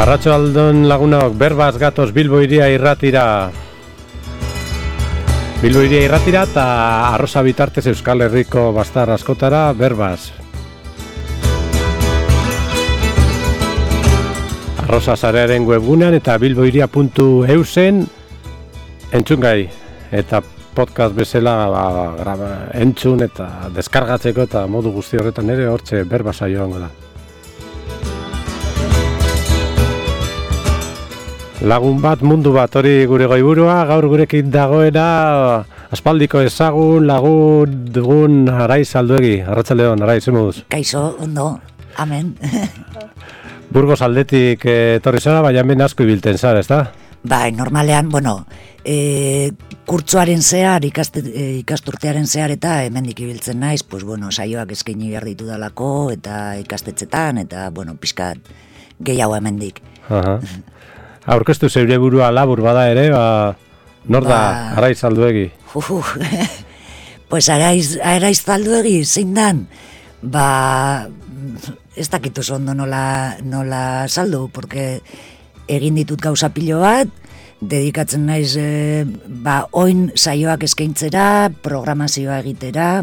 Arratsaldeon lagunok, berbaz gatoz Bilbo Hiria irratira. Bilbo Hiria irratira eta arroza bitartez Euskal Herriko bastar askotara berbaz. Arroza zarearen webgunean eta bilbohiria.eusen entzungai eta podcast bezala entzun eta deskargatzeko eta modu guzti horretan ere hortxe berbaza joango da. Lagun bat, mundu bat, hori gure goiburua, gaur gurekin dagoena aspaldiko ezagun lagun dugun Araiz Alduegi. Arratsaldeon, Araiz, zemuz? Kaixo, ondo, amen. Burgos aldetik etorri zara, baina hemen asko ibilten zara, ezta? Bai, normalean, kurtsoaren zehar, ikasturtearen zehar eta hemendik ibiltzen naiz, saioak eskaini behar ditu dalako, eta ikastetxetan, eta, pixkat gehiago hemendik. Aha. Aurkeztu zeure burua labur bada ere, nor da Araiz Alduegi? Pues Araiz Alduegi, zein dan? Ez dakit oso ondo nola saldu, porque egin ditut gauza pilo bat, dedikatzen naiz oin saioak eskaintzera, programazioa egitera,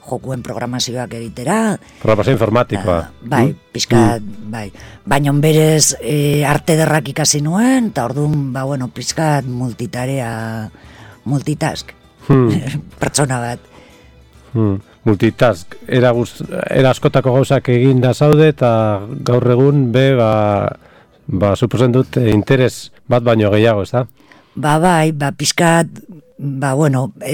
jokuen programazioak egitera. Programazio informatikoa. Bai, pixkat, bai. Baina berez arte derrak ikasi nuen, eta orduan, pixkat multitask. Pertsona bat. Multitask. Era askotako gauzak egin da zaude, eta gaur egun suposen dut interes bat baino gehiago, ez da? Pixkat,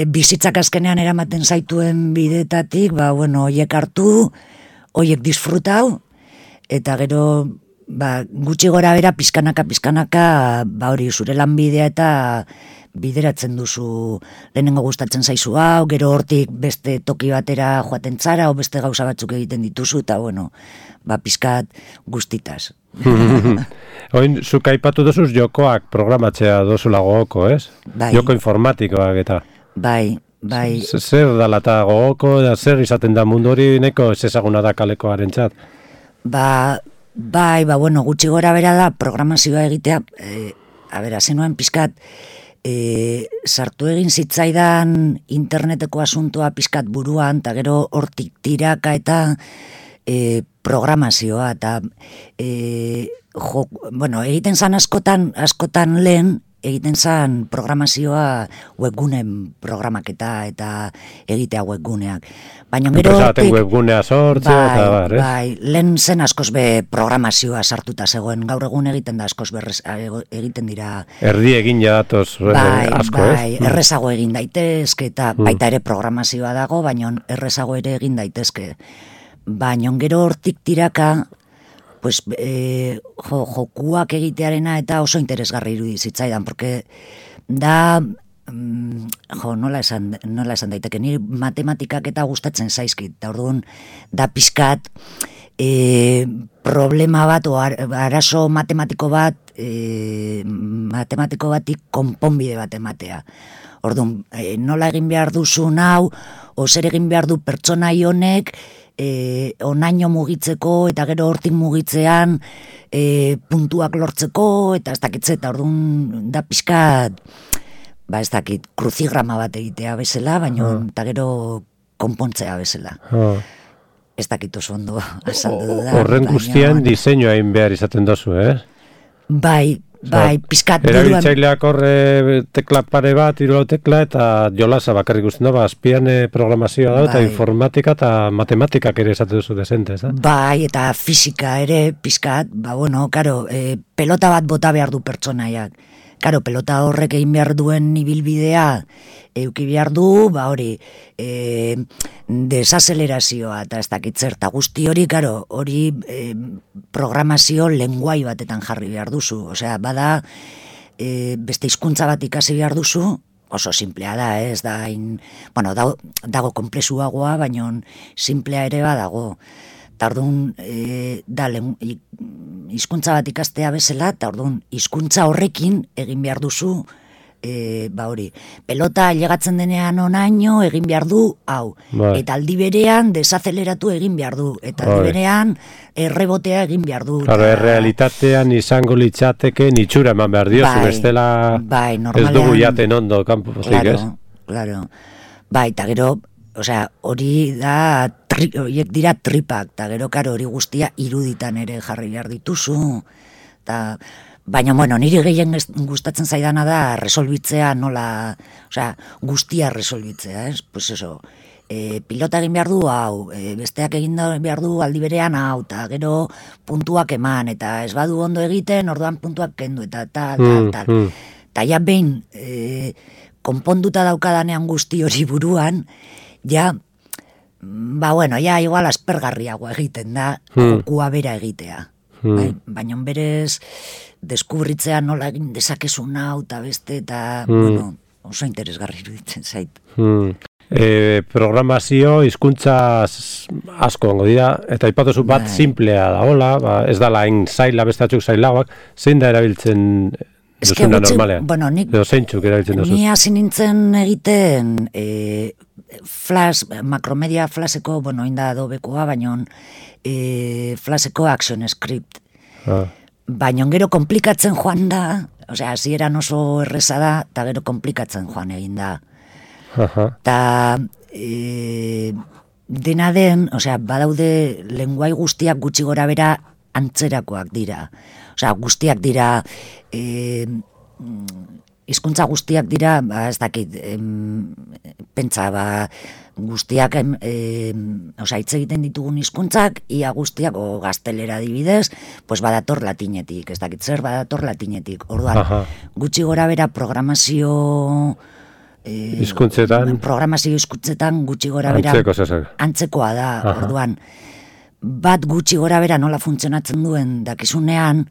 bizitzak azkenean eramaten zaituen bidetatik, hoiek hartu, hoiek disfrutau, eta gero, gutxi gora bera, pizkanaka, hori zure lanbidea eta bideratzen duzu, lehenengo gustatzen zaizu hau, gero hortik beste toki batera joaten zara, o beste gauza batzuk egiten dituzu, eta pizkat guztitaz. Oin, zuk aipatu dozuz jokoak programatzea dozula gogoko, ez? Bai. Joko informatikoak eta. Bai. Zer dala eta gogoko, da zer izaten da mundu hori neko ez ezaguna da kalekoaren txat? Gutxi gora bera da programazioa egitea, zenuen pizkat, sartu egin zitzaidan interneteko asuntoa pizkat buruan, eta gero hortik tiraka eta programazioa, eta egiten zan askotan lehen, egiten zan programazioa webgunen programaketa eta egitea webguneak. Baina gero hortik webgunea sortzea eta bar, ez? Bai, lehen zen askoz be programazioa sartuta zegoen, gaur egun egiten da askoz egiten dira. Erdi egin jadatoz asko, ez? Bai, errezago egin daitezke eta baita ere programazioa dago, baina errezago ere egin daitezke. Baina gero hortik tiraka, jokuak egitearena eta oso interesgarri irudi zitzaidan, porque da, nola esan daiteke, niri matematikak eta gustatzen zaizkit, eta orduan da pizkat problema bat, o arazo matematiko batik konponbide bat ematea. Orduan, nola egin behar duzu nau, o zer egin behar du pertsonai honek, onaino mugitzeko eta gero hortik mugitzean puntuak lortzeko eta ez dakitze, eta orduan da pixkat ez dakit, kruzigrama bat egitea bezala, baina eta gero konpontzea bezala. Ez dakit oso ondo azaldu da. Horren guztian diseinua egin behar izaten dozu, Bai, pizkat erabiltzaileak horre tekla pare bat, hiru tekla eta jolasa bakarrik guztien da, azpian programazioa da, eta informatika eta matematikak ere esate duzu desente, ez da? Bai, eta fisika ere pizkat, pelota bat bota behar du pertsonaiak. Pelota horrek egin behar duen ibilbidea euki behar du, desazelerazioa eta ez dakitzer, eta guzti hori, hori programazio lenguai batetan jarri behar duzu. Osea, bada, beste hizkuntza bat ikasi behar duzu, oso simplea da, ez da, dago konplexuagoa, baina simplea ere badago. Eta orduan, hizkuntza bat ikastea bezala, eta orduan, hizkuntza horrekin egin behar duzu hori, pelota ailegatzen denean onaino egin behar du, hau. Bai. Eta aldi berean desazeleratu egin behar du. Eta aldi berean errebotea egin behar du. Claro, errealitatean izango litzateke itxura eman behar diozu, bestela ez dugu jaten ondo kanpotik, ez? Claro. Bai, eta gero, hori da, horiek dira tripak, eta gero, karo, hori guztia iruditan ere jarri behar dituzu, eta... Baina, niri gehien gustatzen zaidana da resolbitzea nola, guztia resolbitzea, ez? Pues eso, pilota egin behar du hau, besteak egin behar du aldi berean hau, eta gero puntuak eman, eta ez badu ondo egiten, orduan puntuak kendu, eta tal. Eta ja behin, konponduta daukadanean guzti hori buruan, ja igual aspergarriagoa egiten da, jokua bera egitea. Baina berez deskubritzea nola egin dezakezun hau eta beste eta oso interesgarri iruditzen zait. Programazio hizkuntza asko ongo dira eta aipatuzu bat simplea da hola, ez da lain zaila bestatzuk zailagoak, zein da erabiltzen duzuna normalean? Edo zeintzuk erabiltzen duzu? Ni hasi nintzen egiten Flash, Macromedia Flasheko, inda Adobekoa, baina Flasheko Action Script. Baina gero komplikatzen joan da, hasieran oso erreza da, eta gero komplikatzen joan egin da. Eta dena den, badaude lenguai guztiak gutxi gora bera antzerakoak dira. Guztiak dira... hizkuntza guztiak dira, ez dakit, pentsa, guztiak, hitz egiten ditugun hizkuntzak, ia guztiak, gaztelera adibidez, pues badator latinetik, ez dakit zer badator latinetik. Orduan, gutxi gora bera programazio hizkuntzetan gutxi gora bera antzekoa da. Orduan, bat gutxi gora bera nola funtzionatzen duen dakizunean,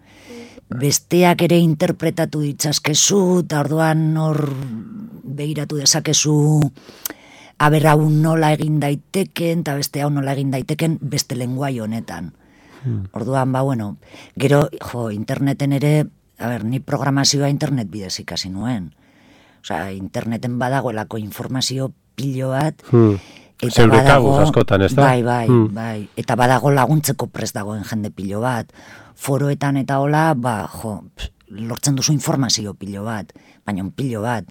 besteak ere interpretatu ditzazkezu, eta orduan hor begiratu dezakezu aber hau nola egin daiteken, eta beste hau nola egin daiteken beste lenguai honetan. Orduan, gero, interneten ere, ni programazioa internet bidez ikasi nuen. Interneten badagoelako informazio pilo bat, zeure kabuz askotan, ez da? Bai. Eta badago laguntzeko prest dagoen jende pilo bat. Foroetan eta hola, lortzen duzu informazio pilo bat, baina pilo bat.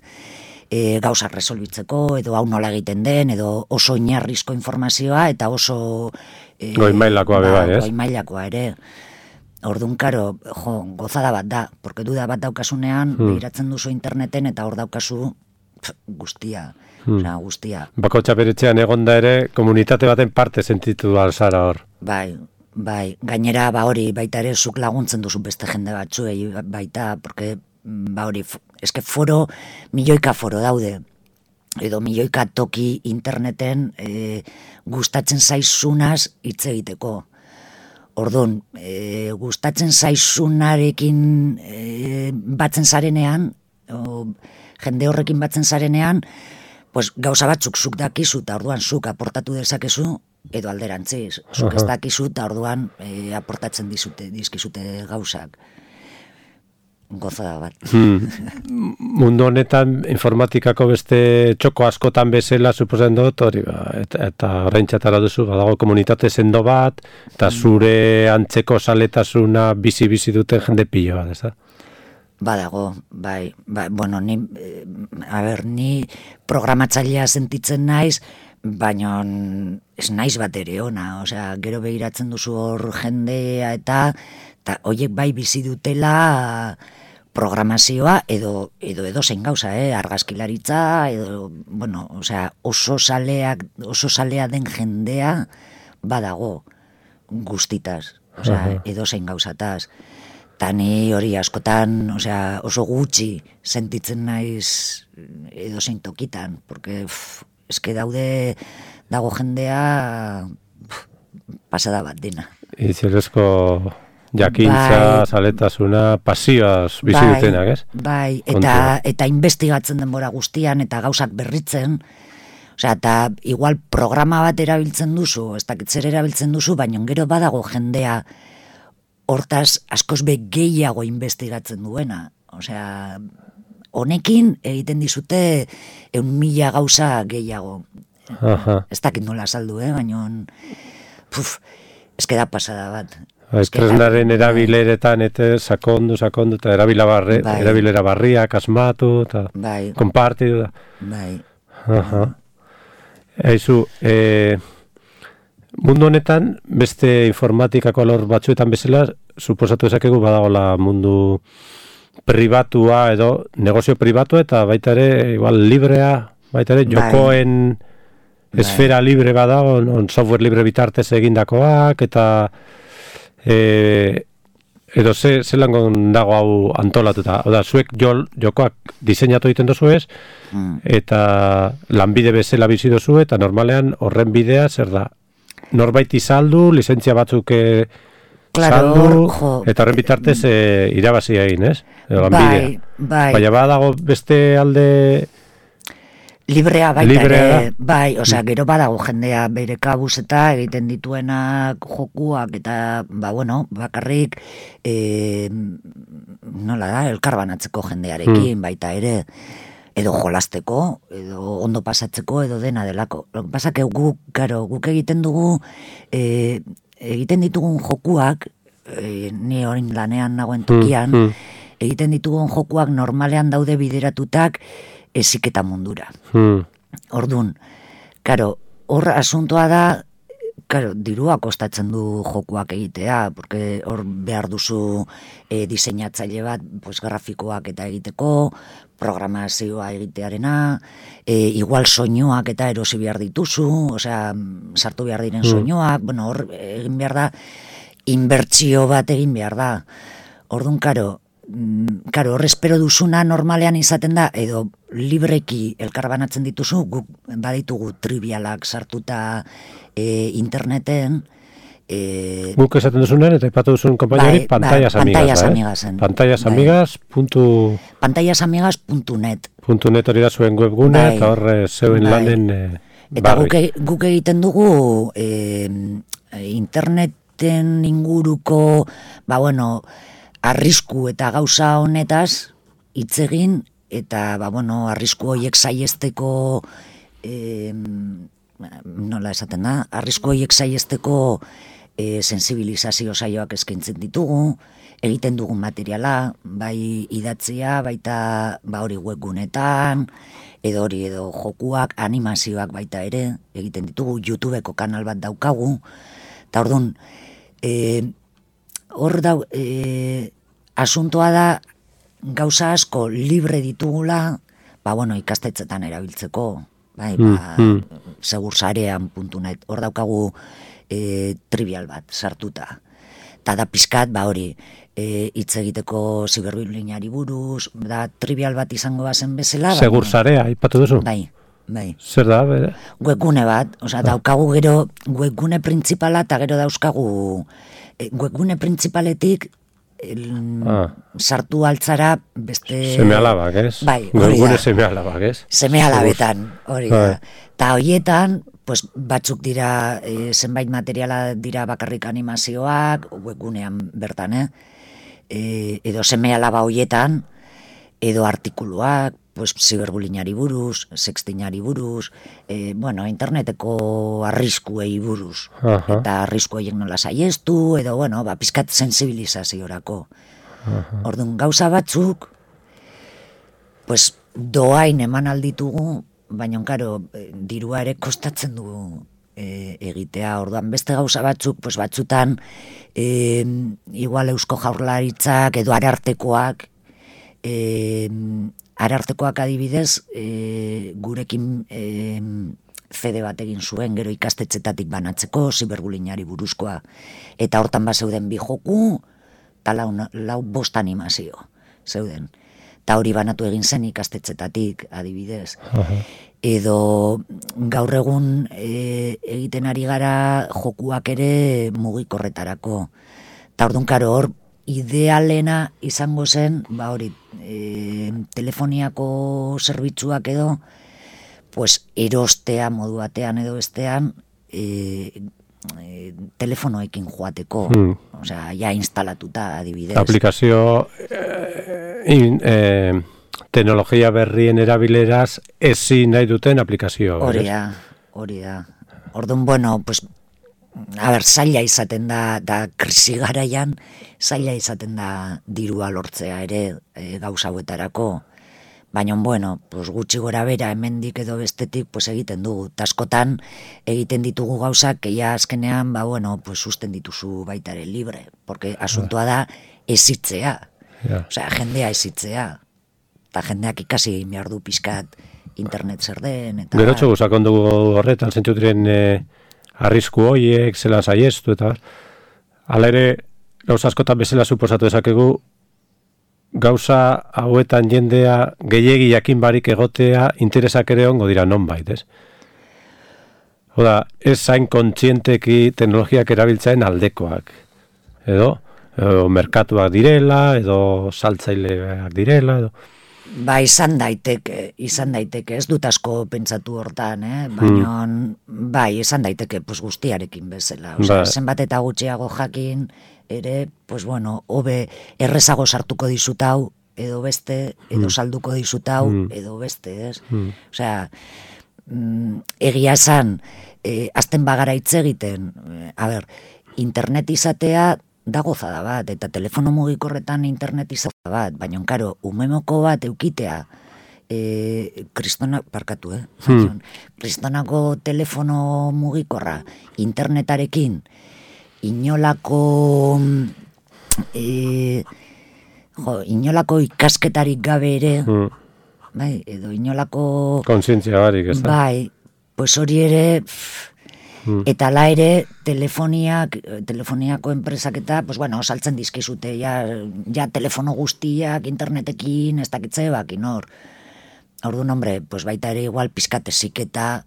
Gauzak resolbitzeko, edo hau nola egiten den, edo oso oinarrizko informazioa, eta oso... Goi mailakoa beba, ez? Goi mailakoa ere. Orduan, karo, gozada bat da, porque duda bat daukasunean, behiratzen duzu interneten, eta hor daukazu guztia. Guztia. Bakotxa beretzean egonda ere, komunitate baten parte sentitu alzara hor. Bai, gainera hori baita ere zuk laguntzen duzu beste jende batzuei baita, porque hori, eske foro, milioika foro daude, edo milioika toki interneten gustatzen zaizunaz hitz egiteko. Orduan, gustatzen zaizunarekin batzen zarenean, jende horrekin batzen zarenean, pues gauza batzuk zuk dakizu eta orduan zuk aportatu dezakezu, edo alderantziz. Zuk ez dakizu eta orduan aportatzen dizkizute gauzak. Gozada bat. Mundu honetan informatikako beste txoko askotan bezala suposatzen dut, hori eta oraintxatara duzu, badago komunitate sendo bat, eta zure antzeko zaletasuna bizi duten jende pilo bat, ez da? Badago, bai, ni programatzailea sentitzen naiz, baina ez naiz bat ere ona, gero behiratzen duzu hor jendea eta horiek bai bizi dutela programazioa edo zein gauza, argazkilaritza, edo, oso salea den jendea badago guztitaz, edo zein gauzataz. Eta ni hori askotan, oso gutxi sentitzen naiz edo zein tokitan, porque eske dago jendea pasada bat dena. Itzelezko jakintza, zaletasuna, pasioaz bizi dutenak, ez? Bai, eta investigatzen denbora guztian, eta gauzak berritzen, eta igual programa bat erabiltzen duzu, ez dakit zer erabiltzen duzu, baina gero badago jendea hortaz askoz be gehiago investigatzen duena. honekin egiten dizute 100.000 gauza gehiago. Ez dakit nola saldu, baina eske da pasada bat. Tresnaren erabileretan eta sakondu, eta erabilera barriak asmatu, eta konpartidu da. Bai. Eizu, mundu honetan, beste informatikako alor batzuetan bezala, suposatu ezakegu badagola mundu pribatua edo negozio pribatua eta baita ere, igual, librea, baita ere, jokoen esfera libre badago, software libre bitartez egindakoak, eta edo zelan dago hau antolatuta. Oda, zuek jokoak diseinatu egiten dozu ez, eta lanbide bezala bizi dozu, eta normalean horren bidea zer da? Norbait izaldu, lizentzia batzuk saldu, eta horren bitartez irabazi egin, ez? Bai. Baina badago beste alde librea baita ere, bai, osea, gero badago jendea bere kabuz eta egiten dituenak jokuak eta, bakarrik nola da, elkarbanatzeko jendearekin baita ere, edo jolasteko, edo ondo pasatzeko, edo dena delako. Pasak guk egiten dugu, egiten ditugun jokuak, ni horin lanean nagoen tokian, egiten ditugun jokuak normalean daude bideratutak heziketa mundura. Ordun, hor asuntoa da, dirua kostatzen du jokuak egitea, porque hor behar duzu diseinatzaile bat, grafikoak eta egiteko, programazioa egitearena, igual soinuak eta erosi behar dituzu, osea, sartu behar diren soinuak, hor egin behar da, inbertsio bat egin behar da. Ordun, hor espero duzuna normalean izaten da, edo libreki elkarbanatzen dituzu, guk baditugu trivialak sartuta interneten. Guk esaten duzunen, eta ipatu duzun kompainari, pantailasamigas. Pantaillasamigas.net .net hori da zuen webgune, eta hor zeuen lanen eta guk egiten dugu interneten inguruko, arrisku eta gauza honetaz hitz egin, eta arrisku horiek saiesteko nola esaten da, arrisku horiek saiesteko sensibilizazio saioak eskaintzen ditugu, egiten dugun materiala, bai idatzia, baita hori webgunetan, edo jokuak, animazioak baita ere, egiten ditugu, YouTubeko kanal bat daukagu, eta orduan, hor asuntoa da gauza asko libre ditugula, ikastetzetan erabiltzeko, segursarean.net, hor daukagu trivial bat sartuta. Eta da pizkat, hori, hitz egiteko ziberbullyingari buruz, da trivial bat izango bazen bezala. Segursarea, ipatu duzu? Bai. Zer da, bere? Webgune bat, daukagu gero webgune printzipala, eta gero dauzkagu webgune printzipaletik sartu altzara beste... Seme-alabak, ez? Bai, hori da. Seme-alabak, ez? Seme-alabetan, hori da. Eta horietan, batzuk dira, zenbait materiala dira bakarrik animazioak, webgunean bertan, edo seme-alaba horietan, edo artikuluak, ziberbullyingari buruz, sextingari buruz, interneteko arriskuei buruz. Eta arrisku horiek nola saiestu, edo, pizkat sensibilizaziorako. Orduan, gauza batzuk, doain eman alditugu, baina, dirua ere kostatzen du egitea. Orduan, beste gauza batzuk, batzutan, igual Eusko Jaurlaritzak, edo Arartekoak, Arartekoak adibidez, gurekin fede bat egin zuen, gero ikastetxetatik banatzeko, ziberbullyingari buruzkoa. Eta hortan zeuden 2 joku, eta 5 animazio zeuden. Eta hori banatu egin zen ikastetxetatik, adibidez. Edo gaur egun egiten ari gara jokuak ere mugikorretarako. Eta orduan, hor, idealena izango zen, hori, telefoniako zerbitzuak edo, erostea modu batean edo bestean, telefonoekin joateko, osea, ja instalatuta adibidez. Aplikazio teknologia berrien erabileraz ezin nahi duten aplikazioa. Hori da. Orduan, bueno, pues, zaila izaten da krisi garaian, zaila izaten da dirua lortzea ere gauza hauetarako. Baina, bueno, pues, gutxi gora bera hemendik edo bestetik pues, egiten dugu. Taskotan egiten ditugu gauzak, ja azkenean, pues, susten dituzu baitare libre. Porque asuntoa da ezitzea. Osea, jendea ezitzea. Eta jendeak ikasi egin behar du pizkat internet zer den. Gerotxo guzakon dugu horretan, zentxutiren arrisku hoiek, zelan saiestu, eta hala ere, gauza askotan bezala suposatu ezakegu, gauza hauetan jendea gehiegi jakin barik egotea interesak ere ongo dira nonbait, ez? Oda, ez zain kontzienteki teknologiak erabiltzaen aldekoak, edo merkatuak direla, edo saltzaileak direla, edo... Ba, izan daiteke, ez dut asko pentsatu hortan, baina, bai, izan daiteke, pues, guztiarekin bezala. Osea, zenbat eta gutxiago jakin, ere, pues, bueno, hobe errezago sartuko dizutau, edo beste, edo salduko dizutau, edo beste, ez? Osea, egia esan, azten bagara hitz egiten, internet izatea, da gozada bat, eta telefono mugikorretan internet izatea bat, baina, karo, umemoko bat eukitea, kristonako telefono mugikorra, internetarekin, inolako ikasketarik gabe ere, bai, edo inolako... Kontzientzia barik, ez da? Bai, pues hori ere... Eta la ere, telefoniako enpresak eta, pues bueno, saltzen dizkizute, ja telefono guztiak, internetekin, ez dakitze bakin hor. Orduan, hombre, pues baita ere igual pizkat eziketa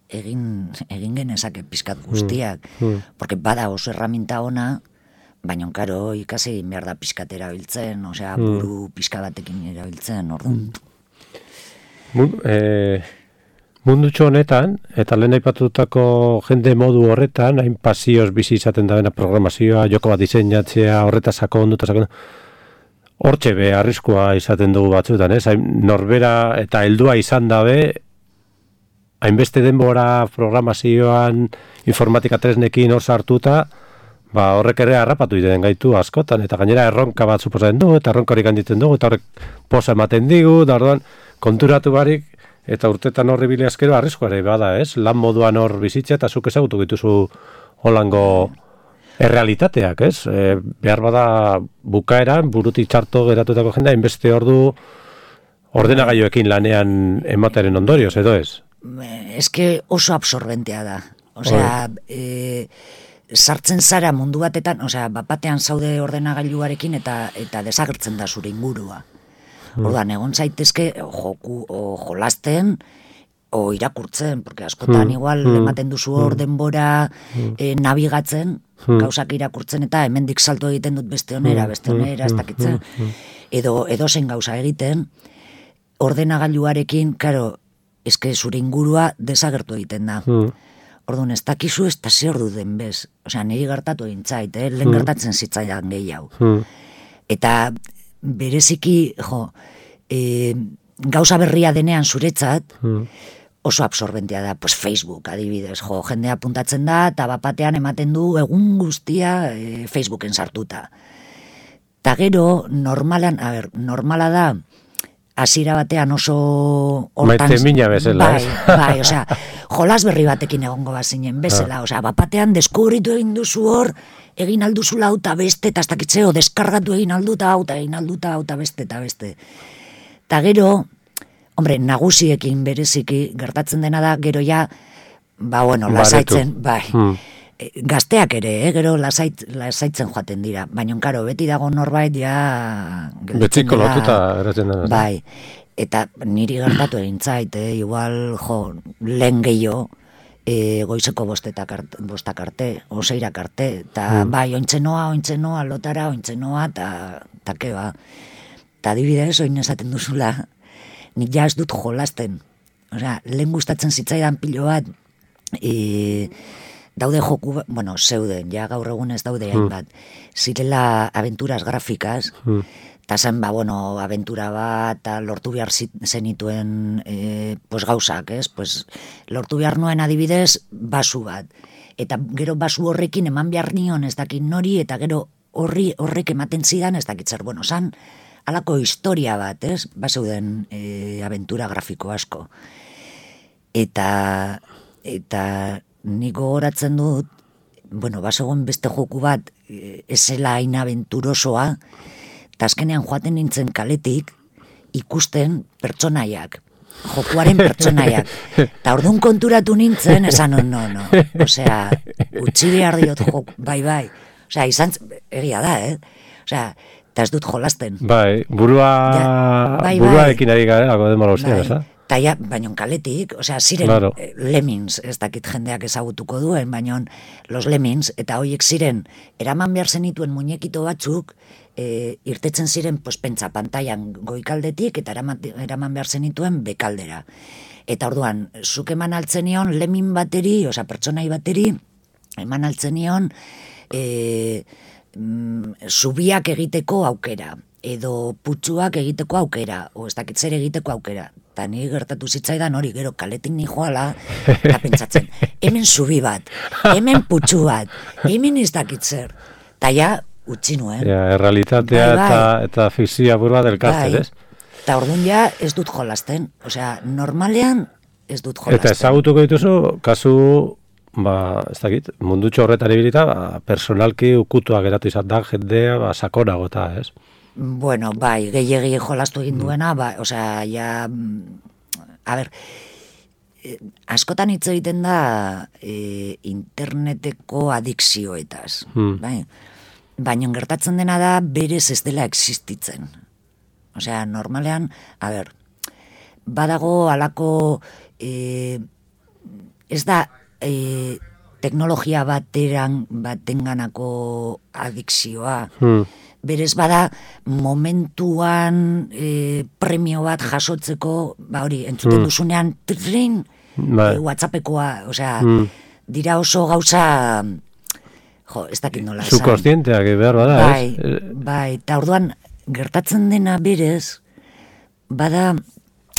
egin genezake pizkat guztiak. Porque bada oso herramienta ona, baina, karo, ikasi egin behar da pizkat erabiltzen, osea, buru pizka batekin erabiltzen, orduan. Mundutxo honetan, eta lehen aipatutako jende modu horretan, hain pasioz bizi izaten da bena programazioa, joko bat diseinatzea, horretaz sakondu, hortxe be, arriskua izaten dugu batzuetan, ez? Norbera eta heldua izan dabe, hainbeste denbora programazioan, informatika tresnekin hor sartuta, ba, horrek ere harrapatu iten gaitu askotan, eta gainera erronka bat suposatzen du, eta erronka horik handiten dugu, eta horrek posa ematen digu, da orduan, konturatu barik, eta urtetan horri bile askero arriskuare bada, ez? Lan moduan hor bizitza eta zuk ezagutu dituzu holango errealitateak, ez? Behar bada bukaeran, burutik txarto geratutako jendea, inbeste ordu ordenagailuekin lanean ematearen ondorioz, edo ez? Eske oso absorbentea da. Osea, sartzen zara mundu batetan, osea, batean zaude ordenagailuarekin eta desagertzen da zure ingurua. Orduan, egon zaitezke jolasten o irakurtzen, porque askotan igual ematen duzu hor denbora nabigatzen, gauzak irakurtzen eta hemendik salto egiten dut beste onera, ez dakitzen, edo zen gauza egiten, ordenagailuarekin, karo, eske zure ingurua desagertu egiten da. Orduan, ez dakizu ez da zer du den bez. Osea, niri gertatu egin zait, lehen gertatzen zitzaidan gehiago. Eta bereziki, gauza berria denean zuretzat, oso absorbentea da, pues Facebook adibidez, jendea puntatzen da, eta bapatean ematen du egun guztia Facebooken sartuta. Ta gero, normala da, hasiera batean oso hortan... Maite mina bezala, ez? Bai, osea, jolas berri batekin egongo bazinen bezala, osea, bapatean deskubritu egin duzu hor, egin alduzula hauta beste, eta ez dakitzeo, deskargatu egin alduta hauta beste, eta beste. Ta gero, hombre, nagusiekin bereziki gertatzen dena da, gero ja, ba, bueno, lasaitzen, bai, gazteak ere, gero lasaitzen joaten dira, baina, karo, beti dago norbait, ja... Betziko lotuta eratzen dena. Bai, eta niri gertatu egin zait, igual, lehen gehiago, goizeko bostak arte, oseirak arte, eta bai, ointzenoa, lotara, ointzenoa, eta keba. Eta adibidez, oin esaten duzula, nik ja ez dut jolasten. Osea, lehen gustatzen zitzaidan pilo bat, daude joku, zeuden, ja gaur egun ez daude hainbat, zirela aventuras grafikas, eta zen, bueno, abentura bat, eta lortu behar zenituen pues gauzak, ez? Pues, lortu behar nuen adibidez, basu bat. Eta gero basu horrekin eman behar nion ez dakit nori, eta gero horrek ematen zidan ez dakit zer. Bueno, zan, alako historia bat, ez? Baseuden abentura grafiko asko. Eta nik gogoratzen dut, bueno, basegoen beste joku bat, ezela hain abenturosoa, eta azkenean joaten nintzen kaletik ikusten pertsonaiak, jokuaren pertsonaiak. Eta orduan konturatu nintzen, esan no. Osea, utzi behar diot joku, bai. Osea, izan, egia da, Osea, eta ez dut jolasten. Bai, buruarekin ari gara, lako denbora ustean, ez da? Eta baino kaletik, osea, ziren claro. Lemmings, ez dakit jendeak ezagutuko duen, baino los Lemmings, eta hoiek ziren, eraman behar zenituen muñekito batzuk, irtetzen ziren pentsa pantailan goikaldetik, eta eraman behar zenituen bekaldera. Eta orduan, zuk eman altzenion Lemming bateri, osea, pertsonai bateri, eman altzenion zubiak egiteko aukera, edo putzuak egiteko aukera, o ez dakit zer egiteko aukera. Eta ni gertatu zitzaidan hori, gero kaletik ni joala, eta pentsatzen, hemen zubi bat, hemen putzu bat, hemen ez dakit zer. Eta ja, utzi nuen. Errealitatea eta fikzioa burua delkatzen, ez? Eta orduan ja ez dut jolasten. Osea, normalean ez dut jolasten. Eta ezagutuko dituzu, kasu, ez dakit, mundutxo horretan ibilita, personalki ukutua geratu izan da, jendea, sakonago eta, ez? Bueno, bai, gehiegi jolastu egin duena, osea, ja, a ber, askotan hitz egiten da interneteko adikzioetaz, bai? Baina gertatzen dena da berez ez dela existitzen. Osea, normalean, a ber, badago alako, ez da teknologia batenganako adikzioa, berez bada momentuan premio bat jasotzeko, hori, entzuten duzunean, WhatsAppekoa, osea, dira oso gauza, ez dakit nola esan. Subkonstienteak behar bada, ez? Bai, eta orduan, gertatzen dena berez, bada...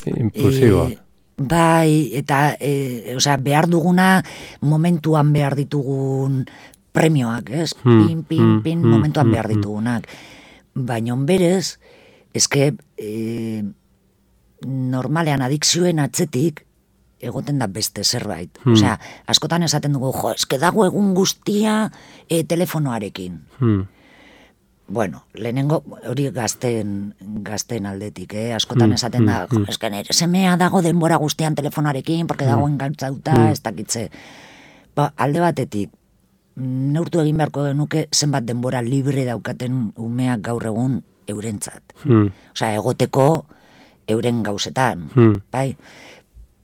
Impulsiboa. Bai, eta, osea, behar duguna momentuan behar ditugun premioak, ez? Pin, momentuan behar ditugunak. Baina berez, eske normalean adikzioen atzetik egoten da beste zerbait. Osea, askotan esaten dugu, eske dago egun guztia telefonoarekin. Bueno, lehenengo hori gazten aldetik, askotan esaten da, eske nire semea dago denbora guztian telefonoarekin, porque dago engantzauta, ez dakitze. Alde batetik, neurtu egin beharko genuke zenbat denbora libre daukaten umeak gaur egun eurentzat. Osea, egoteko euren gauzetan, bai?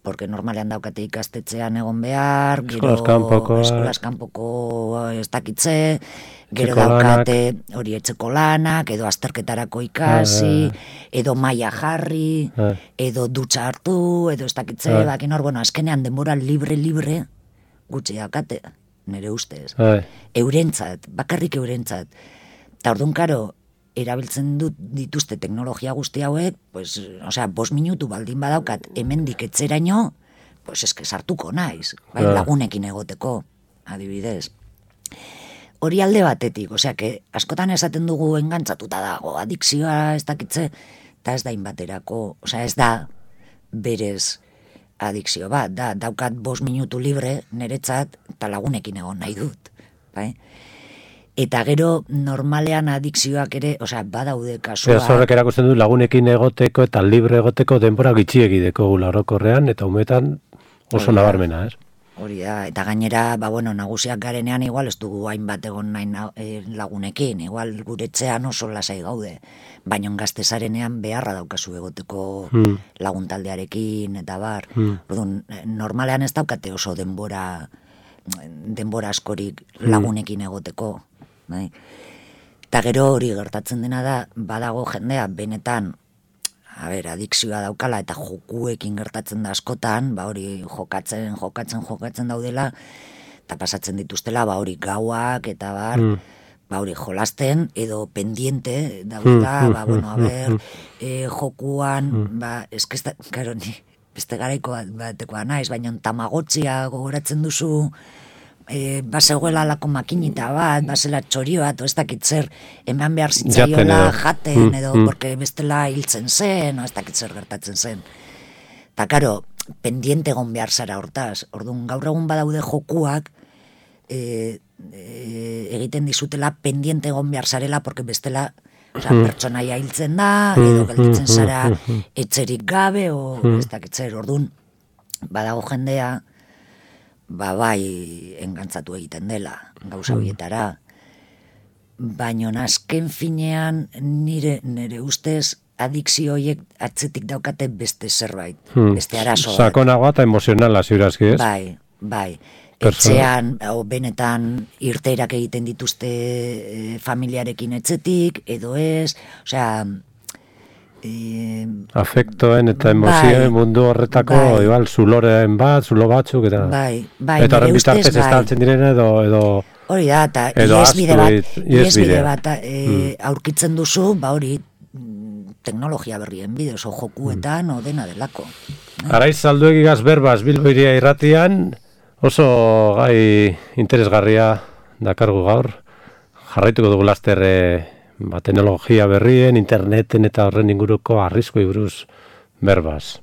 Porque normalean daukate ikastetxean egon behar, gero eskolaz kanpoko ez dakitze, gero daukate hori etxeko lanak, edo azterketarako ikasi, edo maila jarri, edo dutxa hartu, edo ez dakitze, bakin hor, bueno, azkenean denbora libre gutxi daukate, nire ustez. Eurentzat, bakarrik eurentzat. Eta orduan karo, erabiltzen dituzte teknologia guzti hauek, pues, osea, 5 minutu baldin badaukat hemendik etzeraino, pues eske sartuko naiz, bai, lagunekin egoteko, adibidez. Hori alde batetik, osea, askotan esaten dugu engantzatuta dago, adikzioa ez dakitze, eta ez da inbaterako, osea, ez da berez adikzio bat, daukat 5 minutu libre niretzat, eta lagunekin egon nahi dut, bai? Eta gero normalean adikzioak ere, osea, badaude kasuak. Horrek erakusten du lagunekin egoteko eta libre egoteko denbora gitxiegideko gula orokorrean, eta umetan oso nabarmena, ez? Hori da, eta gainera, bueno, nagusiak garenean igual ez dugu hainbat egon nahi lagunekin, igual guretzean oso lasai gaude, baina gaztezarenean beharra daukazu egoteko laguntaldearekin, eta bar. Normalean ez daukate oso denbora askorik lagunekin egoteko. Bai. Eta gero hori gertatzen dena da, badago jendea benetan, adikzioa daukala eta jokuekin gertatzen da askotan, hori jokatzen daudela, eta pasatzen dituztela, hori gauak eta bar, ba hori jolasten edo pendiente daudela, ba bueno, a ber, jokuan, ba eske claro, ni beste garaiko batekoa naiz, baina Tamagotchia gogoratzen duzu, bazegoela lako makinita bat, bazela txorio bat, ez dakit zer, eman behar zitzaiola jaten, edo, porque bestela hiltzen zen, ez dakit zer gertatzen zen. Ta karo, pendiente egon behar zara hortaz, orduan gaur egun badaude jokuak, egiten dizutela pendiente egon behar zarela, porque bestela pertsonaia hiltzen da, edo gelditzen zara etxerik gabe, o ez dakit zer, orduan badago jendea, ba bai engantzatu egiten dela gauza horietara. Baina azken finean nire ustez adikzio horiek atzetik daukate beste zerbait, beste arazo. Sakonagoa eta emozionala ziurazki, ez? Bai. Etxean, benetan irteerak egiten dituzte familiarekin etxetik, edo ez, osea... afektoen eta emozioen mundu horretako igual zuloren bat, zulo batzuk eta eta horren bitartez estaltzen direna edo hori da, eta iesbide bat aurkitzen duzu, ba hori teknologia berrien bidez, o jokuetan, o dena delako. Araiz Zalduegigaz berbaz Bilbo Hiria irratian oso gai interesgarria dakargu gaur, jarraituko dugu laster teknologia berrien, interneten eta horren inguruko arriskoi buruz berbaz.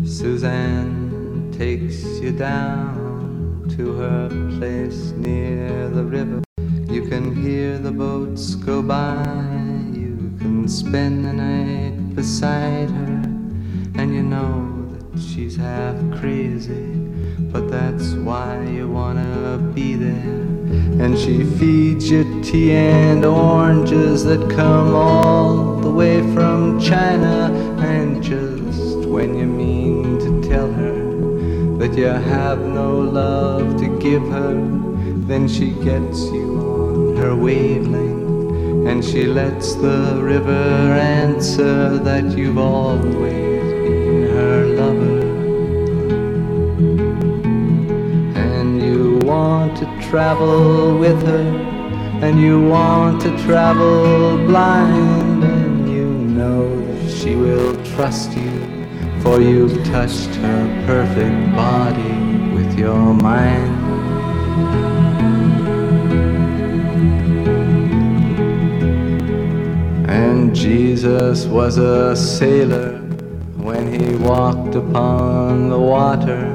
Suzanne takes you down to her place near the river. You can hear the boats go by, you can spend the night beside her, and you know that she's half crazy, but that's why you wanna be there. And she feeds you tea and oranges that come all the way from China, and just when you mean to tell her that you have no love to give her, then she gets you on her wavelength, and she lets the river answer that you've always been her lover. And you want to travel with her, and you want to travel blind, and you know that she will trust you, for you've touched her perfect body with your mind. And Jesus was a sailor when he walked upon the water,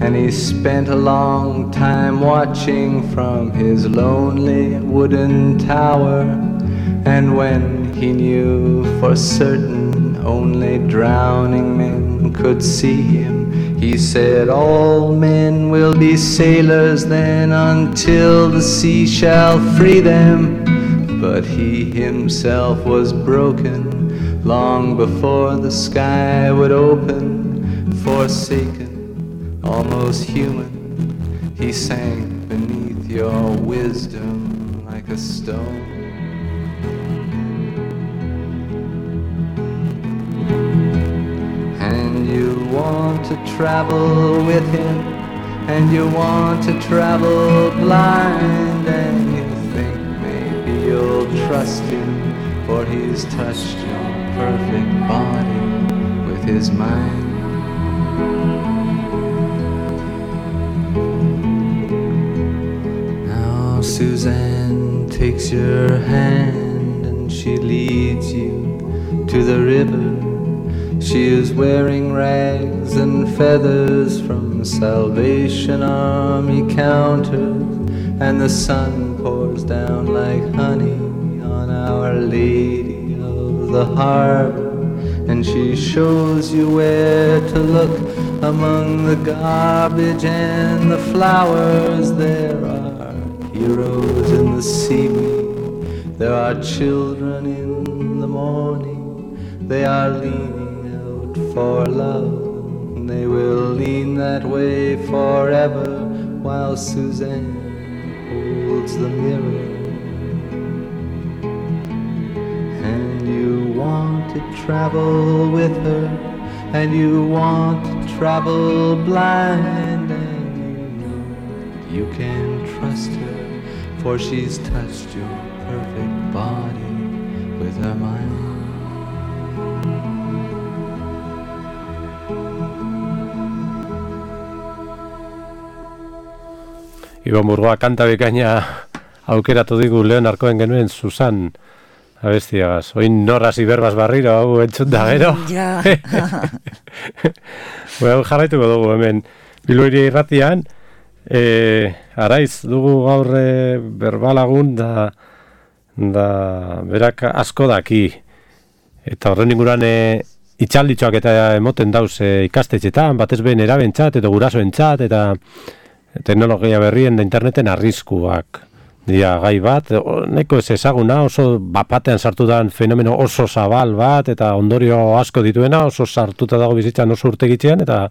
and he spent a long time watching from his lonely wooden tower. And when he knew for certain only drowning men could see him, he said, all men will be sailors then until the sea shall free them. But he himself was broken long before the sky would open. Forsaken, almost human, he sank beneath your wisdom like a stone. And you want to travel with him, and you want to travel blind, and you think maybe you'll trust him, for he's touched your perfect body with his mind. Now Suzanne takes your hand and she leads you to the river. She is wearing rags and feathers from Salvation Army counters, and the sun pours down like honey on Our Lady of the Harbor. And she shows you where to look among the garbage and the flowers. There are heroes in the seaweed, there are children in the morning. They are leaning out for love, and they will lean that way forever, while Suzanne holds the mirror. And you want to travel with her, and you want to travel blind, and you know you can trust her, for she's touched your perfect body with her mind. Ibon Burgoa kanta bikaina aukeratu digu lehen arkoen genuen Susan abestiagaz. Oin norras iberbaz barriro hau entzut da gero. Ja. Bueno, jarraituko dugu hemen Bilboiri irratian. Araiz dugu gaur berbalagun da berak asko daki. Eta horren inguruan itxalditxoak eta emoten dauz ikastetxetan, batez behin erabentzat edo gurasoentzat eta teknologia berrien da interneten arriskuak dira gai bat, neko ez ezaguna, oso bapatean sartu dan fenomeno oso zabal bat, eta ondorio asko dituena, oso sartuta dago bizitzan oso urtegitzean, eta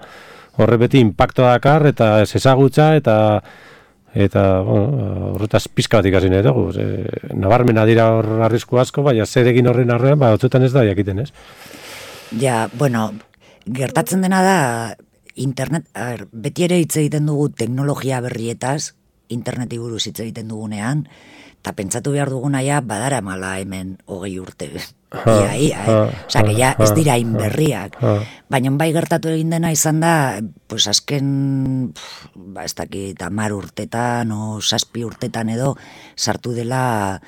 horre beti impactoa dakar, eta ez ezagutza, eta horretaz pizka bat ikasi nahi dugu. Nabarmena dira hor arrisku asko, baina zer egin horren arrean, otzutan ez da jakiten, ez? Ja, bueno, gertatzen dena da, internet, beti ere hitz egiten dugu teknologia berrietaz, interneti buruz hitz egiten dugunean, eta pentsatu behar duguna ja badara mala hemen 20 urte. Osa, que ja ez dira inberriak. Baina bai gertatu egin dena izan da, pues azken, ez dakit, 10 urtetan o 7 urtetan edo, sartu dela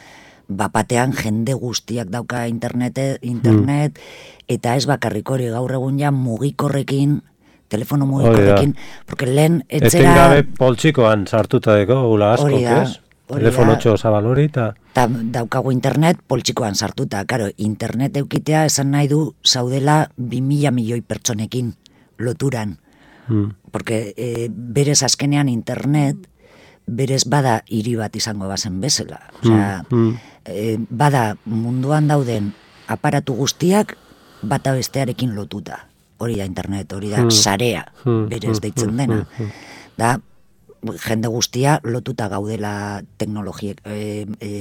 bapatean jende guztiak dauka internet, eta ez bakarrik hori gaur egun ja mugikorrekin, telefono mugikorrekin, porque lehen etzera... Etengabe poltsikoan sartuta deko, gula asko, ez? Telefono 8 zabal hori, eta... Daukagu internet poltsikoan sartuta, karo, internet eukitea esan nahi du zaudela 2.000 milioi pertsonekin loturan. Porque berez azkenean internet, berez bada hiri bat izango bazen bezala. Osea, bada munduan dauden aparatu guztiak bata bestearekin lotuta. Hori da internet, hori da sarea, berez deitzen dena. Da, jende guztia lotuta gaudela teknologiek,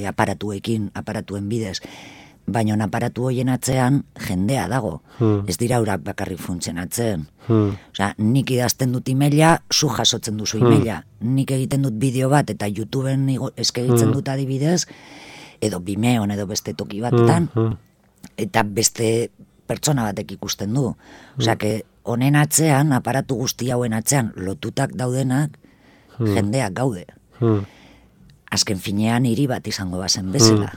aparatuen bidez. Baina aparatu hoien atzean jendea dago. Ez dira urak bakarrik funtzionatzen. Osea, nik idazten dut emaila, zu jasotzen duzu emaila. Nik egiten dut bideo bat eta YouTubeen eskaintzen dut adibidez, edo Vimeon edo beste toki batetan, eta beste pertsona batek ikusten du. Osea, que honen atzean, aparatu guzti hauen atzean, lotutak daudenak, jendeak gaude. Azken finean hiri bat izango bazen bezala.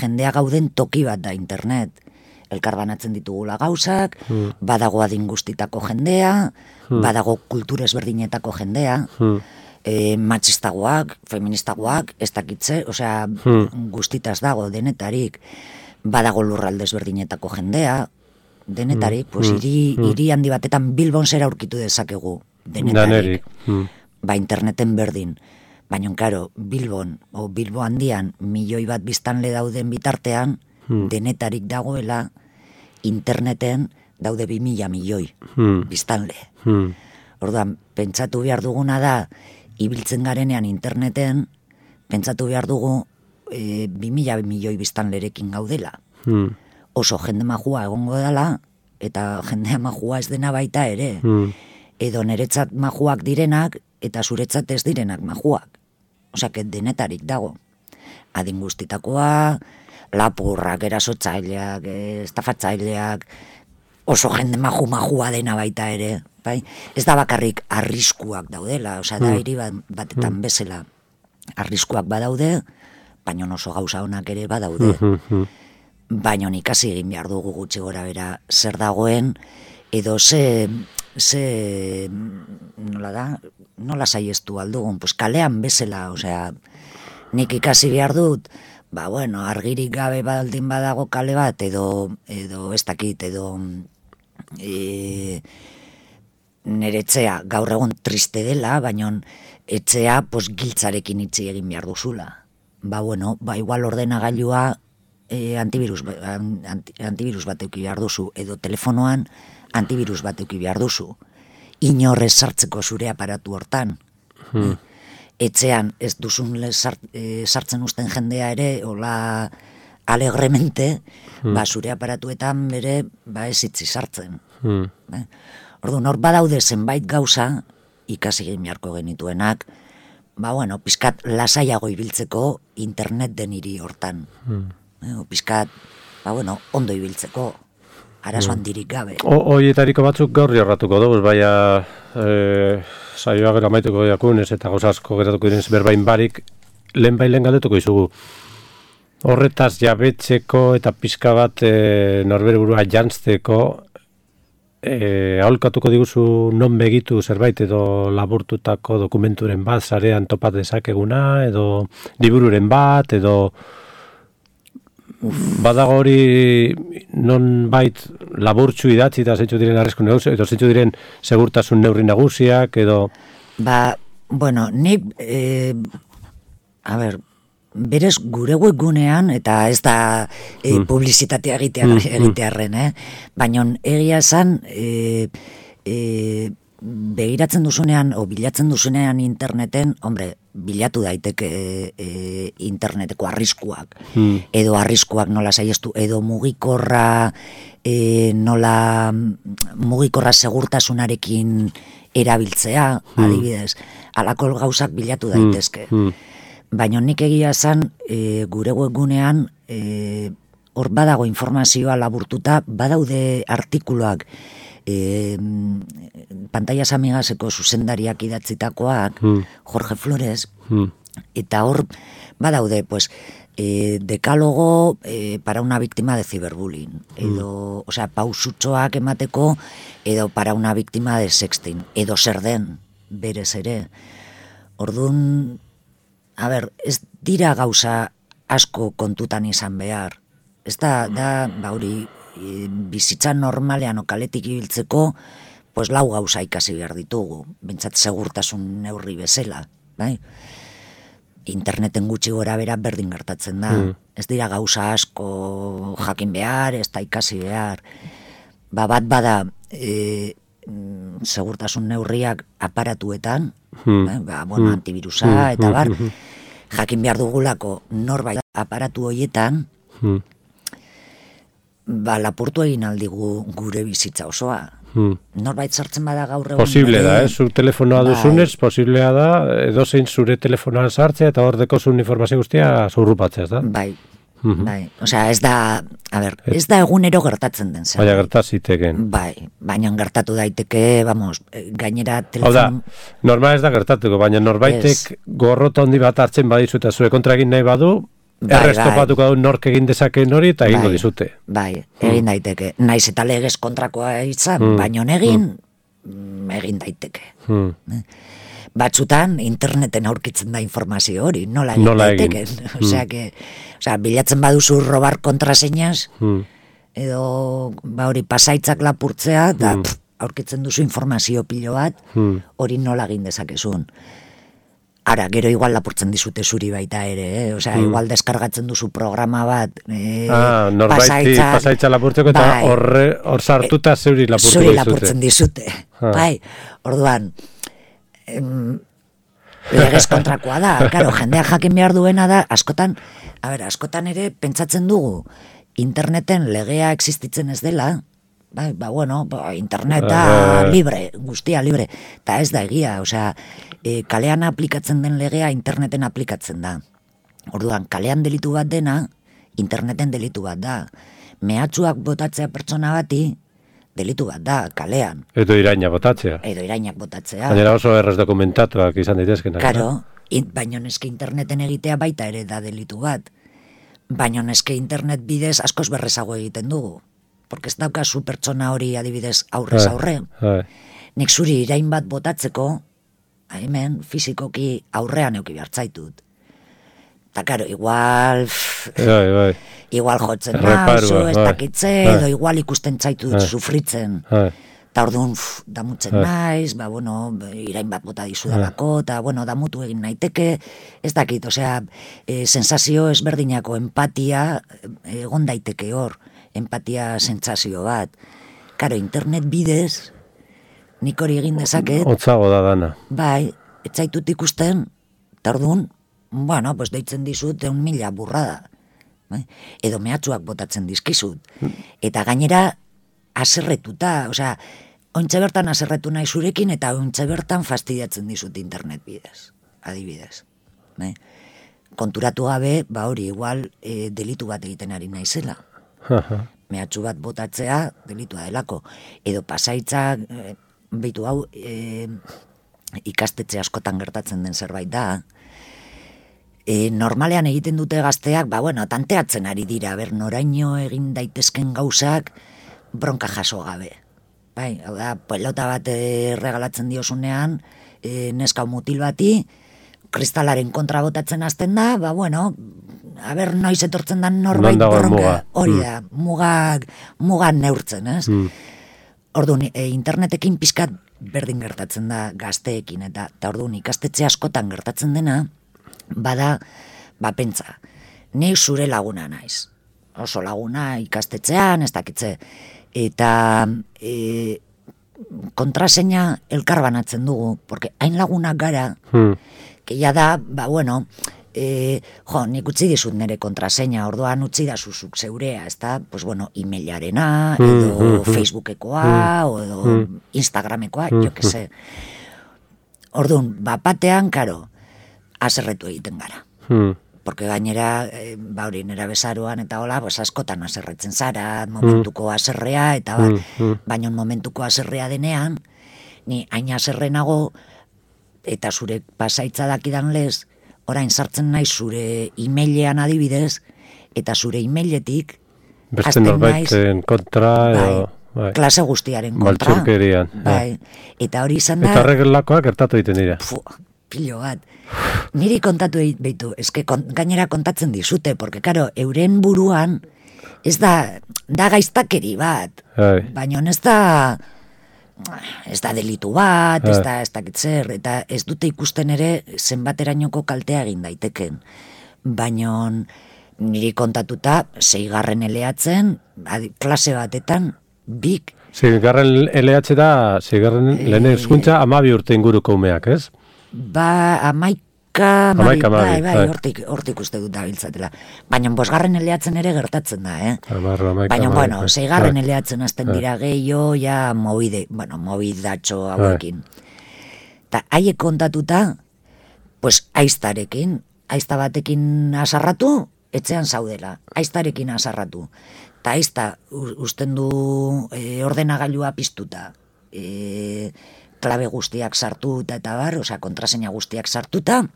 Jendea gauden toki bat da internet. Elkarbanatzen ditugula gauzak, badago adin guztitako jendea, badago kultura ezberdinetako jendea, matxistagoak, feministagoak, ez dakitze, osea, guztitaz dago denetarik. Badago lurralde ezberdinetako jendea, denetarik, pues hiri handi batetan Bilbon zera aurkitu dezakegu, denetarik. Ba interneten berdin. Baina, karo, Bilbon, o Bilbo handian, 1 milioi bat biztanle dauden bitartean, denetarik dagoela, interneten daude 2.000 milioi biztanle. Orduan, pentsatu behar duguna da, ibiltzen garenean interneten, pentsatu behar dugu 2.000 milioi biztanlerekin gaudela. Oso jende majua egongo dela, eta jendea majua ez dena baita ere. Edo niretzat majuak direnak, eta zuretzat ez direnak majuak. Osea, denetarik dago. Adin guztitakoa, lapurrak, erasotzaileak, estafatzaileak, oso jende majua dena baita ere. Bai? Ez da bakarrik arriskuak daudela, osea, da hiri batetan bezala arriskuak badaude, baina oso gauza honak ere badaude. Baina ikasi egin behar dugu gutxi gora bera zer dagoen, edo nola saiestu aldugun, pues kalean bezala, osea, nik ikasi behar dut, argirik gabe baldin badago kale bat, edo ez dakit, edo nire etxea gaur egun triste dela, baina etxea giltzarekin itzi egin behar duzula. Igual ordenagailua antivirus bat euki behar duzu, edo telefonoan antivirus bat euki behar duzu. Inorrez sartzeko zure aparatu hortan. Etxean ez duzun sartzen usten jendea ere, hola alegremente, zure aparatuetan bere, ez itzi sartzen. Orduan, hor badaude zenbait gauza, ikasi egin beharko genituenak, pizkat lasaiago ibiltzeko internet den hiri hortan. Pizkat, ondo ibiltzeko, arazo handirik gabe. Hoietariko batzuk gaur jorratuko dugu, baina saioa gero amaituko diakunez eta gauza asko geratuko direnez berbain barik, lehen galdetuko izugu. Horretaz jabetzeko eta pizka bat norbere burua jantzteko, aholkatuko diguzu non begitu zerbait edo laburtutako dokumenturen bat, sarean topat dezakeguna, edo libururen bat, edo badago hori non bait laburtsu idatzi eta zeintzu diren arrezko negozi, edo zeintzu diren segurtasun neurri nagusiak, edo... nik, berez gure webgunean, eta ez da publizitatea egitearren, baina egia esan, begiratzen duzunean, o bilatzen duzunean interneten, bilatu daiteke interneteko arriskuak, edo arriskuak nola saiestu, edo mugikorra segurtasunarekin erabiltzea, adibidez, halako gauzak bilatu daitezke. Baina nik egia esan, gure webgunean, hor badago informazioa laburtuta, badaude artikuluak, Pantallas Amigaseko zuzendariak idatzitakoak, Jorge Flores, eta hor badaude, decálogo para una víctima de ciberbullying, edo, pausutxoak emateko, edo para una víctima de sexting, edo zer den, berez ere. Orduan, ez dira gauza asko kontutan izan behar. Ez da, hori, bizitza normalean okaletik ibiltzeko, lau gauza ikasi behar ditugu, bintzat segurtasun neurri bezala, bai? Interneten gutxi gora bera berdin gertatzen da. Ez dira gauza asko jakin behar, ez da ikasi behar. Bat bada segurtasun neurriak aparatuetan, antivirusa eta bar, jakin behar dugulako norbait aparatu horietan, lapurtu egin aldigu gure bizitza osoa. Norbait sartzen bada gaur egun... Posible da, zu telefonoa duzunez, posiblea da, edozein zure telefonoan sartzea eta hor dekozun informazio guztia zurrupatzea, ez da? Bai. Ez da, ez da egunero gertatzen den zen. Baina gertaziteken. Bai, baina gertatu daiteke, gainera telefon... Hau da, normal ez da gertatuko, baina norbaitek gorrota handi bat hartzen badizu eta zure kontra egin nahi badu, errestopatuko dut nork egin dezakeen hori eta egingo dizute. Bai, egin daiteke. Naiz eta legez kontrakoa izan, baina egin daiteke. Batzutan interneten aurkitzen da informazio hori, nola egin daiteke. Bilatzen baduzu robar kontraseñas, edo hori pasaitzak lapurtzea, da aurkitzen duzu informazio pilo bat, hori nola egin dezakezun. Ara, gero igual lapurtzen dizute zuri baita ere, igual deskargatzen duzu programa bat, pasaitza lapurtzeko eta hor sartuta zuri lapurtzen dizute. Bai, orduan, legez kontrakoa da, jendeak jakin behar duena da, askotan ere pentsatzen dugu, interneten legea existitzen ez dela, interneta libre, guztia libre, eta ez da egia, kalean aplikatzen den legea interneten aplikatzen da. Orduan, kalean delitu bat dena, interneten delitu bat da. Mehatxuak botatzea pertsona bati, delitu bat da, kalean. Edo irainak botatzea. Baina oso erraz dokumentatuak izan daitezkenak. Karo, baina neske interneten egitea baita ere da delitu bat. Baina neske internet bidez askoz berrezago egiten dugu. Porque ez daukazu pertsona hori adibidez aurrez aurre. Nik zuri irain bat botatzeko, hemen fizikoki aurrean euki behartzaitut. Eta karo, igual jotzen nauzu, ez dakitze, edo igual ikusten zaitut sufritzen. Eta orduan damutzen naiz, irain bat bota dizudalako, eta damutu egin naiteke, ez dakit, sensazio ezberdinako empatia egon daiteke hor, empatia sentsazio bat. Karo, internet bidez, nik hori egin dezaket. Otzago da dana. Bai, ez zaitut ikusten, eta orduan, deitzen dizut 1.000 burrada. Edo mehatxuak botatzen dizkizut. Eta gainera, haserretuta, osea, ointxe bertan haserretu nahi zurekin, eta ointxe bertan fastidiatzen dizut internet bidez, adibidez. Konturatu gabe, hori, igual, delitu bat egiten ari naizela. Mehatxu bat botatzea, delitua delako. Edo pasaitzak, behitu hau, ikastetxe askotan gertatzen den zerbait da. Normalean egiten dute gazteak, tanteatzen ari dira, noraino egin daitezken gauzak bronka jaso gabe. Bai, hau da, pelota bat regalatzen diozunean, neska mutil bati, kristalaren kontra botatzen hasten da, noiz etortzen da norbait bronka, hori da, mugak neurtzen, ez? Orduan, internetekin pizkat berdin gertatzen da gazteekin, eta orduan ikastetxe askotan gertatzen dena, bada, pentsa, ni zure laguna naiz. Oso laguna ikastetxean, ez dakitze, eta kontraseina elkar banatzen dugu, porque hain lagunak gara, que ya da, nik utzi dizut nire kontraseina, orduan utzi da zuzuk zeurea, ez da, emailarena, edo Facebookekoa, edo Instagramekoa, jo que se. Orduan, batean, karo, haserretu egiten gara. Porque gainera, nera bezaroan eta hola, askotan haserretzen zara, momentuko haserrea, eta baina momentuko haserrea denean, ni hain haserrenago, eta zure pasaitza dakidan lez, orain sartzen naiz zure emailean adibidez, eta zure emailetik beste norbaiten kontra, klase guztiaren kontra. Baltzurkerian. Eta hori izan da... Eta horrelakoak gertatu egiten dira. Pilo bat. Niri kontatu behitu, eske gainera kontatzen dizute, porque, karo, euren buruan, ez da gaiztakeri bat, baina ez da delitu bat, ez da kitzer, eta ez dute ikusten ere zenbaterainoko kaltea egin daiteken. Baina niri kontatuta, 6. eleatzen, klase batetan, bik. 6. eleatze da, 6. lehen hezkuntza 12 urte inguruko umeak, ez? 11, hortik uste dut dabiltzatela. Baina 5. eleatzen ere gertatzen da, Baina, 6. eleatzen azten dira gehiago, ja mobidatxo hauekin. Eta haiek kontatuta, aizta batekin asarratu, etxean zaudela, aiztarekin asarratu. Eta aizta usten du ordenagailua piztuta, klabe guztiak sartuta eta kontraseina guztiak sartuta,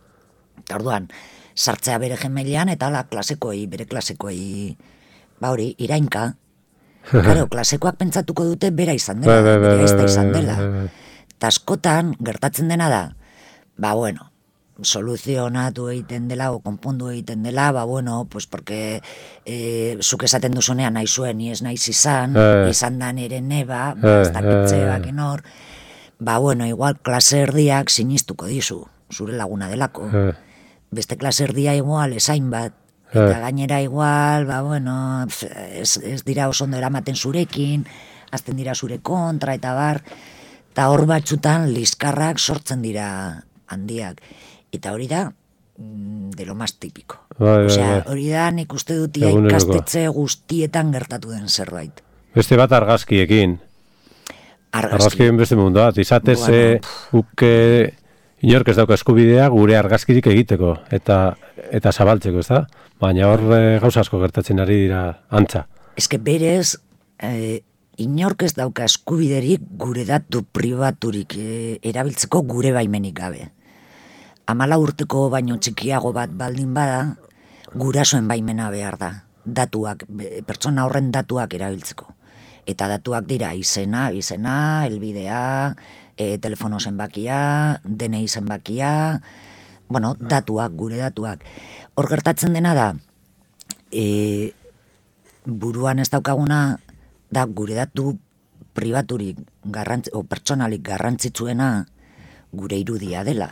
eta orduan, sartzea bere gemelian, eta bere klasekoei, irainka. Claro, klasekoak pentsatuko dute bera izan dela, bera ez da izan dela. Eta askotan, gertatzen dena da, soluzionatu egiten dela, o konpondu egiten dela, porque zuk esaten duzunean nahi zuen, ni ez naiz izan da nire neba, ez dakitze bakin hor, igual klase erdiak sinistuko dizu, zure laguna delako. Beste klase erdia igual esain bat, eta gainera igual, ez dira oso ondo eramaten zurekin, azten dira zure kontra, eta hor batzutan liskarrak sortzen dira handiak. Eta hori da, de lo más típico. Hori da, nik uste dut ikastetxe guztietan gertatu den zerbait. Beste bat argazkiekin. Argazkien beste mundu bat. Izatez, uke inork ez dauka eskubidea gure argazkirik egiteko eta zabaltzeko, ez da? Baina hor gauza asko gertatzen ari dira antza. Ez que berez, inork ez dauka eskubiderik gure datu pribaturik erabiltzeko gure baimenik gabe. 14 urteko baino txikiago bat baldin bada, gurasoen baimena behar da. Datuak, pertsona horren datuak erabiltzeko. Eta datuak dira izena, helbidea, telefono zenbakia, DNI zenbakia, datuak, gure datuak. Hor gertatzen dena da, buruan ez daukaguna, da gure datu pribaturik, pertsonalik garrantzitsuena gure irudia dela.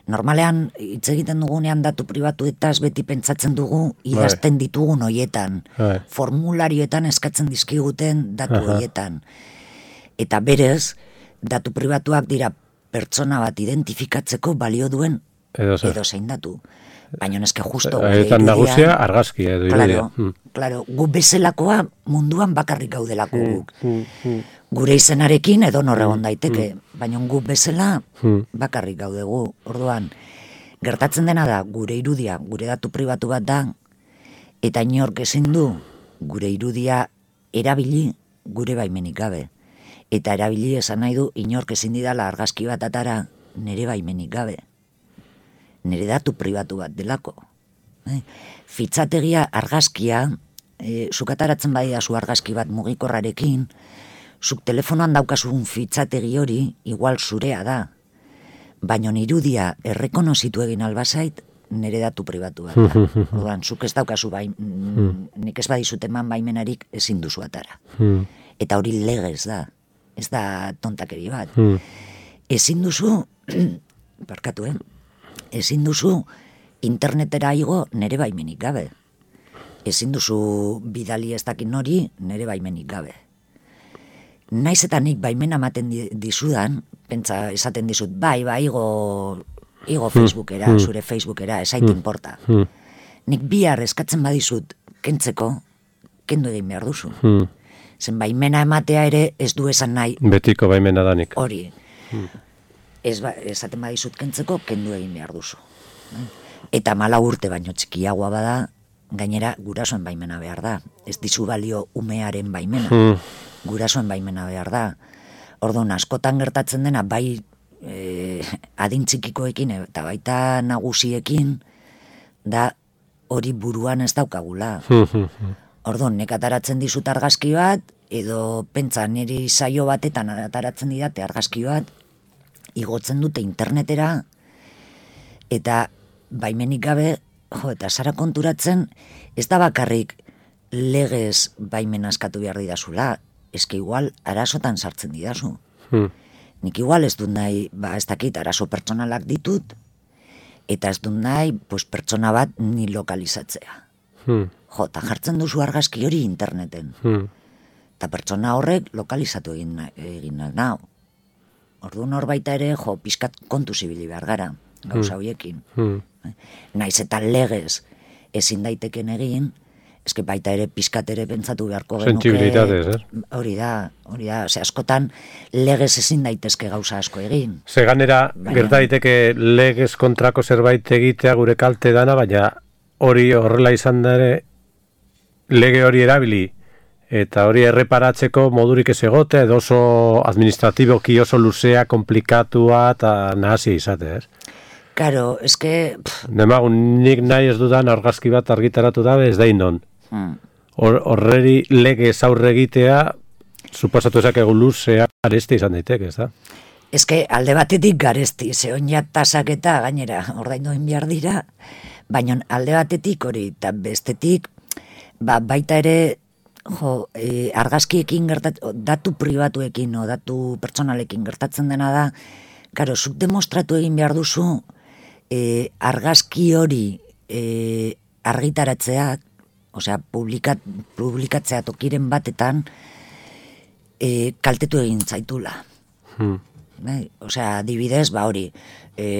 Normalean, hitz egiten dugunean datu pribatuetaz beti pentsatzen dugu idazten ditugun hoietan, formularioetan eskatzen dizkiguten datu hoietan. Eta berez, datu pribatuak dira pertsona bat identifikatzeko balio duen edozein datu. Baina eske justo Eta nagusia argazkia edo irudia. Claro, gu bezalakoa munduan bakarrik gaudelako guk. Gure izenarekin edo egon daiteke, baina gu bezala bakarrik gaudegu. Orduan, gertatzen dena da, gure irudia, gure datu pribatu bat da, eta inork ezin du gure irudia erabili gure baimenik gabe. Eta erabili esan nahi du, inork ezin didala argazki bat atara nire baimenik gabe. Nire datu pribatu bat delako. Fitxategia argazkia, zuk ataratzen badidazu argazki bat mugikorrarekin, zuk telefonoan daukasun fitxategi hori igual zurea da. Baina irudia errekonozitu egin albazait, nire datu pribatu bat da. Orduan, zuk ez daukazu nik ez badizut eman baimenarik ezin duzu atara. Eta hori legez da, ez da tontakeri bat. Ezin duzu, barkatu, ezin duzu internetera igo nere baimenik gabe. Ezin duzu bidali ez dakin hori nere baimenik gabe. Naiz eta nik baimena ematen dizudan, pentsa esaten dizut, bai, igo Facebookera, zure Facebookera, esait inporta. Nik bihar eskatzen badizut kentzeko, kendu egin behar duzu. Zen baimena ematea ere ez du esan nahi. Betiko baimena danik. Hori. Esaten badizut kentzeko, kendu egin behar duzu. Eta 4 urte baino txikiagoa bada, gainera gurasoen baimena behar da. Ez dizu balio umearen baimena. Gurasoen baimena behar da. Orduan, askotan gertatzen dena, bai adin txikikoekin eta baita nagusiekin, da hori buruan ez daukagula. Orduan, nek ataratzen dizut argazki bat, edo pentsa niri saio batetan ataratzen didate argazki bat, igotzen dute internetera, eta baimenik gabe, eta zara konturatzen, ez da bakarrik legez baimen askatu behar didazula, eske igual arazotan sartzen didazu. Nik igual ez dut nahi, ez dakit, arazo pertsonalak ditut, eta ez dut nahi, pertsona bat ni lokalizatzea. Eta jartzen duzu argazki hori interneten. Eta pertsona horrek lokalizatu egin nau. Orduan hor baita ere, pixkat kontu zibili behar gara, gauza horiekin. Naiz eta legez ezin daiteken egin, eske baita ere pixkat ere pentsatu beharko genuke. Sensibilitatez, Hori da, askotan legez ezin daitezke gauza asko egin. Ze ganera, gerta daiteke legez kontrako zerbait egitea gure kalte dana, baina hori horrela izan da ere, lege hori erabili, eta hori erreparatzeko modurik ez egote, edo oso administratiboki oso luzea, komplikatua eta nahazia izate, ez? Karo, eske... Demagun, nik nahi ez dudan argazki bat argitaratu dabe, ez da indon. Horreri lege aurre egitea, suposatu ezak egun luzea, garesti izan daiteke, ez da? Eske alde batetik garesti, zehon ja tasak eta gainera, ordaindoen behar dira, baina alde batetik hori, eta bestetik, baita ere, argazkiekin datu pribatuekin o datu pertsonalekin gertatzen dena da, karo, zuk demostratu egin behar duzu argazki hori argitaratzeak, osea, publikatzea tokiren batetan kaltetu egin zaitula. Osea, adibidez, hori,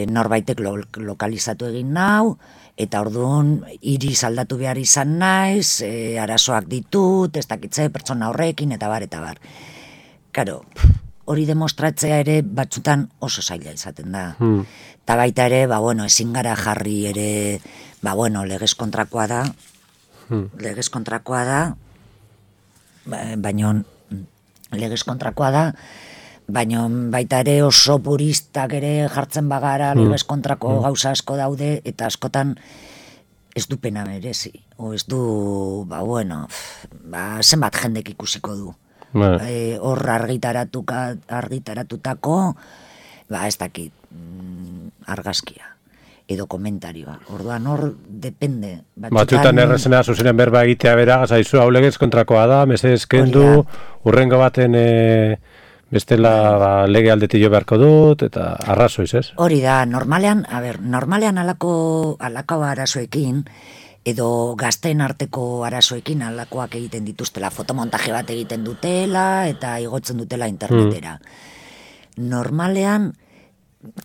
norbaitek lokalizatu egin nau, eta orduan iriz aldatu behar izan naiz, arazoak ditut, ez dakitze pertsona horrekin, eta bar. Karo, hori demostratzea ere batzutan oso zaila izaten da. Eta baita ere, ezin gara jarri ere, legez kontrakoa da, baina baita ere oso puristak ere jartzen bagara, legez kontrako gauza asko daude, eta askotan ez du pena merezi. O ez du, zenbat jendek ikusiko du. Hor argitaratutako, ez dakit, argazkia, edo komentarioa. Orduan hor, depende. Batzutan errezena zuzenen berba egitea bera, gazaizu, hau legez kontrakoa da, mesedez kendu, urrengo baten... bestela lege aldetillo beharko dut, eta arrazoiz, ez? Hori da, normalean alako arazoekin, edo gazteen arteko arazoekin alakoak egiten dituztela, fotomontaje bat egiten dutela, eta igotzen dutela internetera. Normalean,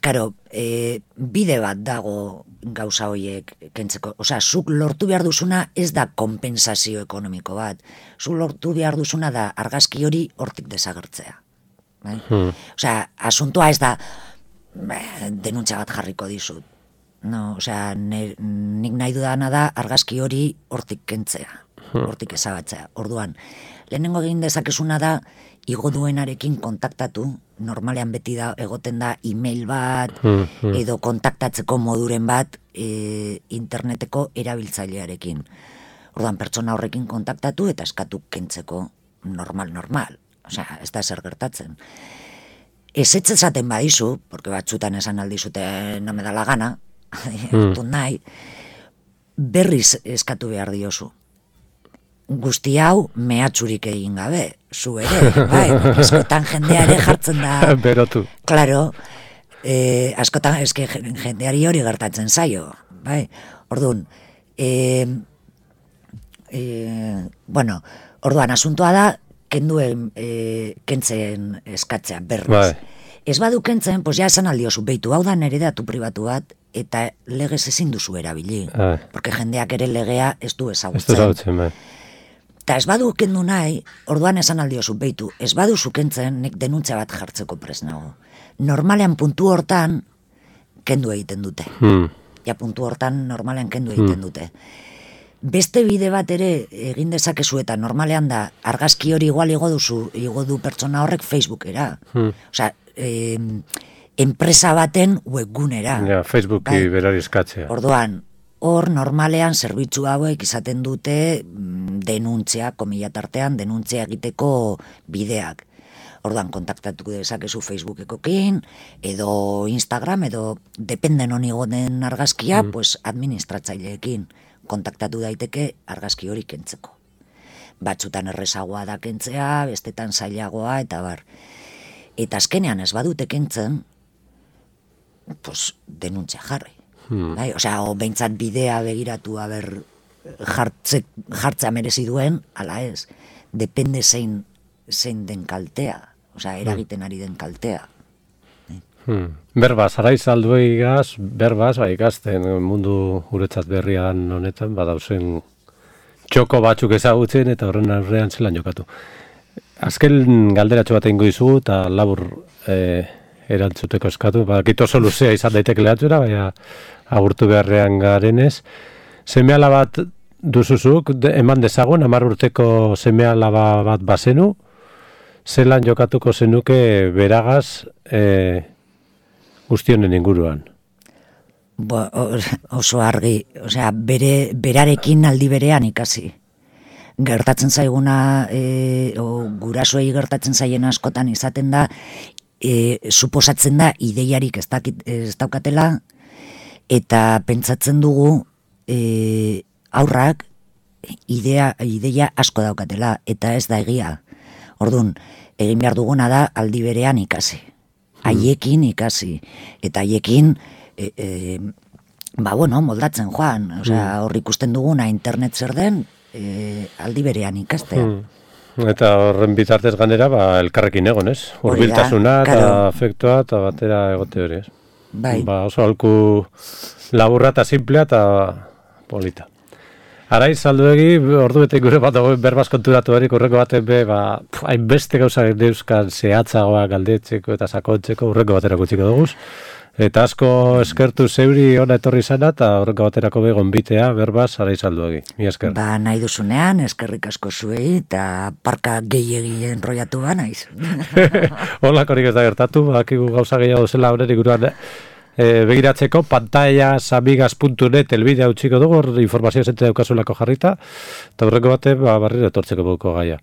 karo, bide bat dago gauza horiek kentzeko. Osea, zuk lortu behar duzuna ez da kompensazio ekonomiko bat. Zuk lortu behar duzuna da argazki hori hortik desagertzea. Bai? Osea, asuntoa ez da denuntza bat jarriko dizut. No, osea, nik nahi dudana da argazki hori hortik kentzea, hortik ezabatzea. Orduan, lehenengo egin dezakezuna da igo duenarekin kontaktatu, normalean beti da egoten da email bat edo kontaktatzeko moduren bat interneteko erabiltzailearekin. Orduan, pertsona horrekin kontaktatu eta eskatu kentzeko normal. Osea, ez da zer gertatzen. Ez esaten badizu, porque batzutan esan aldizute no me da la gana, nahi, berriz eskatu behar diozu. Guzti hau mehatxurik egin gabe, zu ere, bai, askotan jendeare jartzen da. Berotu. Claro, askotan eske jendeari hori gertatzen zaio, bai. Orduan, bueno, orduan asuntoa da kentzen eskatzea berriz. Bai. Ez badu kentzen, pues ja esan aldiozu, beitu, hau da nere datu pribatu bat, eta legez ezin duzu erabili. Porque jendeak ere legea ez du ezagutzen. Bai. Eta ez badu kendu nahi, orduan esan aldiozu, beitu, ez badu zukentzen, nik denuntza bat jartzeko prest nago. Normalean puntu hortan, kendu egiten dute. Ja puntu hortan normalean kendu egiten dute. Beste bide bat ere egin dezakezu eta normalean da, argazki hori igual igo du pertsona horrek Facebookera. Osea, enpresa baten webgunera. Ja, Facebooki berari eskatzea. Orduan, hor normalean zerbitzu hauek izaten dute denuntzia, komilla tartean, denuntzia egiteko bideak. Orduan, kontaktatuko dezakezu Facebookekokin, edo Instagram, edo dependen honi goden argazkia, pues administratzaileekin kontaktatu daiteke argazki hori kentzeko. Batzutan errezagoa da kentzea, bestetan zailagoa, eta bar. Eta azkenean ez badute kentzen, pues denuntzia jarri. Bai? Osea, behintzat bidea begiratu haber jartzea merezi duen, ala ez, depende zein den kaltea, osea, eragiten ari den kaltea. Berbaz, araiz alduei gaz, berbaz, ikasten mundu guretzat berrian honetan, badauzen txoko batzuk ezagutzen eta horren aurrean zelan jokatu. Azken galderatxo bat egingo dizugu eta labur erantzuteko eskatu, badakit oso luzea izan daiteke lehatzura, baina agurtu beharrean garenez. Semeala bat duzuzuk, eman dezagun, 10 urteko semeala bat bazenu, zelan jokatuko zenuke beragaz guztionen inguruan? Oso argi, osea, berarekin aldi berean ikasi. Gertatzen zaiguna, gurasoei gertatzen zaien askotan izaten da, suposatzen da ideiarik ez daukatela, eta pentsatzen dugu aurrak ideia asko daukatela, eta ez da egia. Orduan, egin behar duguna da aldi berean ikasi. Haiekin ikasi. Eta haiekin, moldatzen joan. Osea, hor ikusten duguna internet zer den, aldi berean ikastea. Eta horren bitartez ganera, elkarrekin egon, ez? Hurbiltasuna eta afektua eta batera egote hori, ez? Bai. Oso alku laburra eta simplea eta polita. Araiz, alduegi, ordu bete gure bat dagoen berbaz konturatu erik, urreko baten hainbeste gauza neuzkan zehatzagoa galdetzeko eta sakontzeko urreko batera kutsiko duguz. Eta asko eskertu zeuri ona etorri zana eta horreko baterako begon bitea berbaz Araiz alduegi. Mi esker. Nahi duzunean, eskerrik asko zuei eta parka gehiegi enroiatu naiz. Holakorik ez da gertatu, bakigu gauza gehiago zela horren iguruan begiratzeko pantallasamigas.net elbidea utziko dugu, informazio zentzea daukazulako jarrita, eta horreko bate barriro etortzeko buko gaia.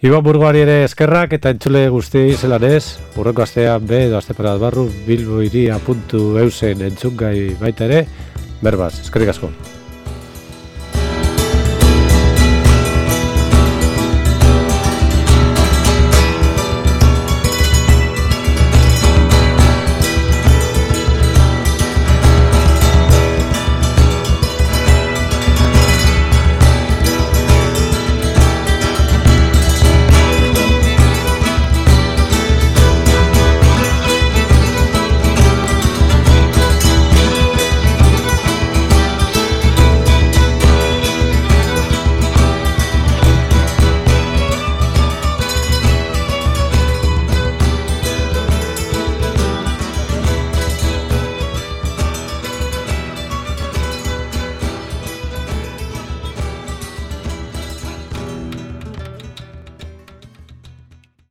Iban Burgoari ere eskerrak eta entzule guztiei zelan ez, urreko astean edo asteparat barru bilboiria.eusen entzungai baita ere, berbaz, eskerrik asko.